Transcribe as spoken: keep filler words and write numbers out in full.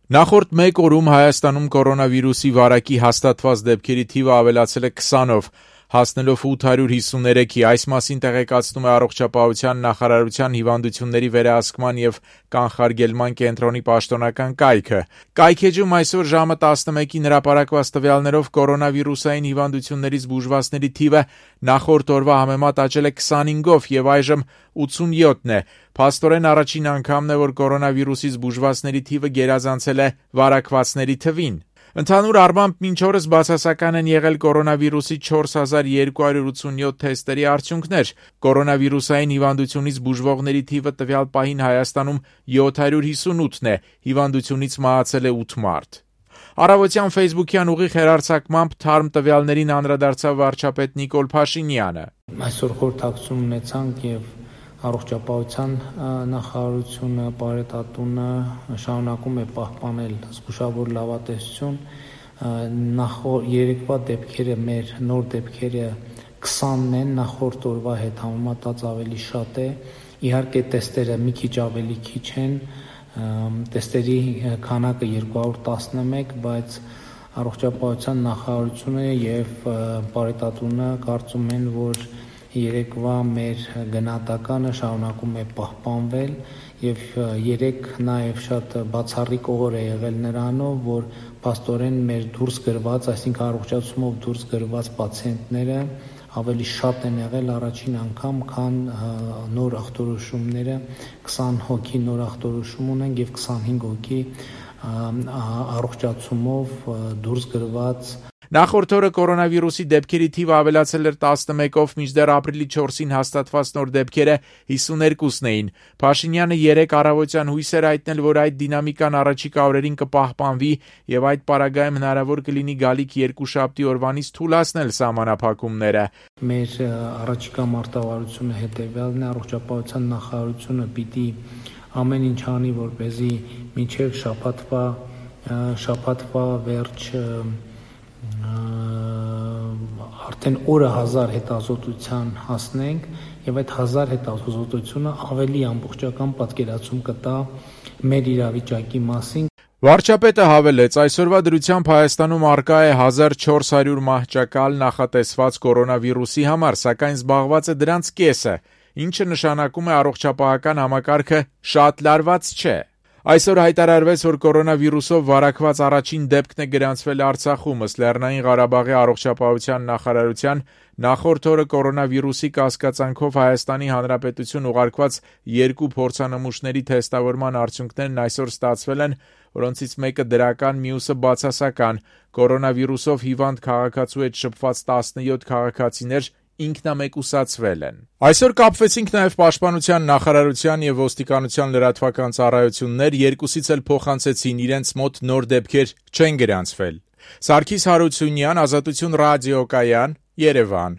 Նախորդ մեկ օրում Հայաստանում կորոնավիրուսի վարակի հաստատված դեպքերի թիվը ավելացել է քսանով, հասնելով ութ հարյուր հիսուներեքի, այս մասին տեղեկացնում է Առողջապահության նախարարության հիվանդությունների վերահսկման և կանխարգելման կենտրոնի պաշտոնական կայքը։ Կայքէջում այսօր ժամը տասնմեկին հրապարակված տվյալներով կորոնավիրուսային հիվանդություններից բուժվածների թիվը նախորդ օրվա համեմատ աճել է քսանհինգով և այժմ ութսունյոթն է։ Փաստորեն առաջին անգամն է, որ կորոնավիրուսից բուժվածների թիվը գերազանցել է վարակվածների թվին։ Ընդհանուր առմամբ մինչ օրս բացասական են եղել կորոնավիրուսի չորս հազար երկու հարյուր ութսունյոթ թեստերի արդյունքներ։ Կորոնավիրուսային հիվանդությունից բուժվողների թիվը տվյալ պահին Հայաստանում յոթ հարյուր հիսունութն է, հիվանդությունից մահացել է ութ մարդ։ Առավոտյան ֆեյսբուքյան ուղիղ հեռարձակմամբ թարմ տվյալներին անդրադարձավ վարչապետ Նիկոլ Փաշինյանը։ Այսօր խորհրդակցություն ունեցանք եւ Առողջապահության նախարարությունը, Պարետատունը շարունակում է պահպանել զգուշավոր լավատեսություն։ Նախորդ երեկվա դեպքերը, մեր նոր դեպքերը քսանն են, նախորդ օրվա հետ համեմատած ավելի շատ է։ Իհարկե տեստերը մի քիչ ավելի քիչ են, տեստերի քանակը երկու հարյուր տասնմեկ, բայց Առողջապահության նախարարությունը եւ Պարետատունը կարծում են, որ երեկվա մեր գնահատականը շարունակում է պահպանվել եւ երեք նաեւ շատ բացառիկ օր է եղել նրանով, որ փաստորեն մեր դուրս գրված, այսինքն առողջացումով դուրս գրված պացիենտները ավելի շատ են եղել առաջին անգամ, քան նոր ախտորոշումները, քսան հոգի նոր ախտորոշում ունենք եւ քսանհինգ հոգի առողջացումով դուրս գրված։ Նախորդ օրը կորոնավիրուսի դեպքերի թիվը ավելացել էր տասնմեկով, մինչդեռ ապրիլի չորսին հաստատված նոր դեպքերը հիսուներկուսն էին։ Փաշինյանը երեկ առավոտյան հույս էր հայտնել, որ այդ դինամիկան առաջիկա օրերին կպահպանվի եւ այդ պարագայում հնարավոր կլինի գալիք երկուշաբթի օրվանից թուլացնել սահմանափակումները։ Մեր առաջիկա մարտավարությունը հետեւյալն է, Առողջապահության նախարարությունը պիտի ամեն ինչ անի, որպեսզի մինչև շաբաթվա շաբաթվա վերջ արդեն օրը հազար հետազոտության հասնենք եւ այդ հազար հետազոտությունը ավելի ամբողջական պատկերացում կտա մեր իրավիճակի մասին։ Վարչապետը հավելեց, այսօրվա դրությամբ Հայաստանում առկա է հազար չորս հարյուր մահճակալ նախատեսված կորոնավիրուսի համար, սակայն զբաղված է դրանց կեսը, ինչը նշանակում է առողջապահական համակարգը շատ լարված չէ։ Այսօր հայտարարվեց, որ կորոնավիրուսով վարակված առաջին դեպքն է գրանցվել Արցախում, ըստ Լեռնային Ղարաբաղի առողջապահության նախարարության նախորդ օրը կորոնավիրուսի կասկածանքով Հայաստանի Հանրապետություն ուղարկված երկու փորձանմուշների թեստավորման արդյունքներն այսօր ստացվել են, որոնցից մեկը դրական, մյուսը բացասական։ Կորոնավիրուսով հիվանդ քաղաքացու հետ շփված տասնյոթ քաղաքացիներ ինքնամեկուսացվել են։ Այսօր կապվեցինք նաև Պաշտպանության նախարարության եւ ոստիկանության լրատվական ծառայություններ, երկուսից էլ փոխանցեցին իրենց մոտ նոր դեպքեր չեն գրանցվել։ Սարգիս Հարությունյան, Ազատություն ռադիոկայան, Երևան։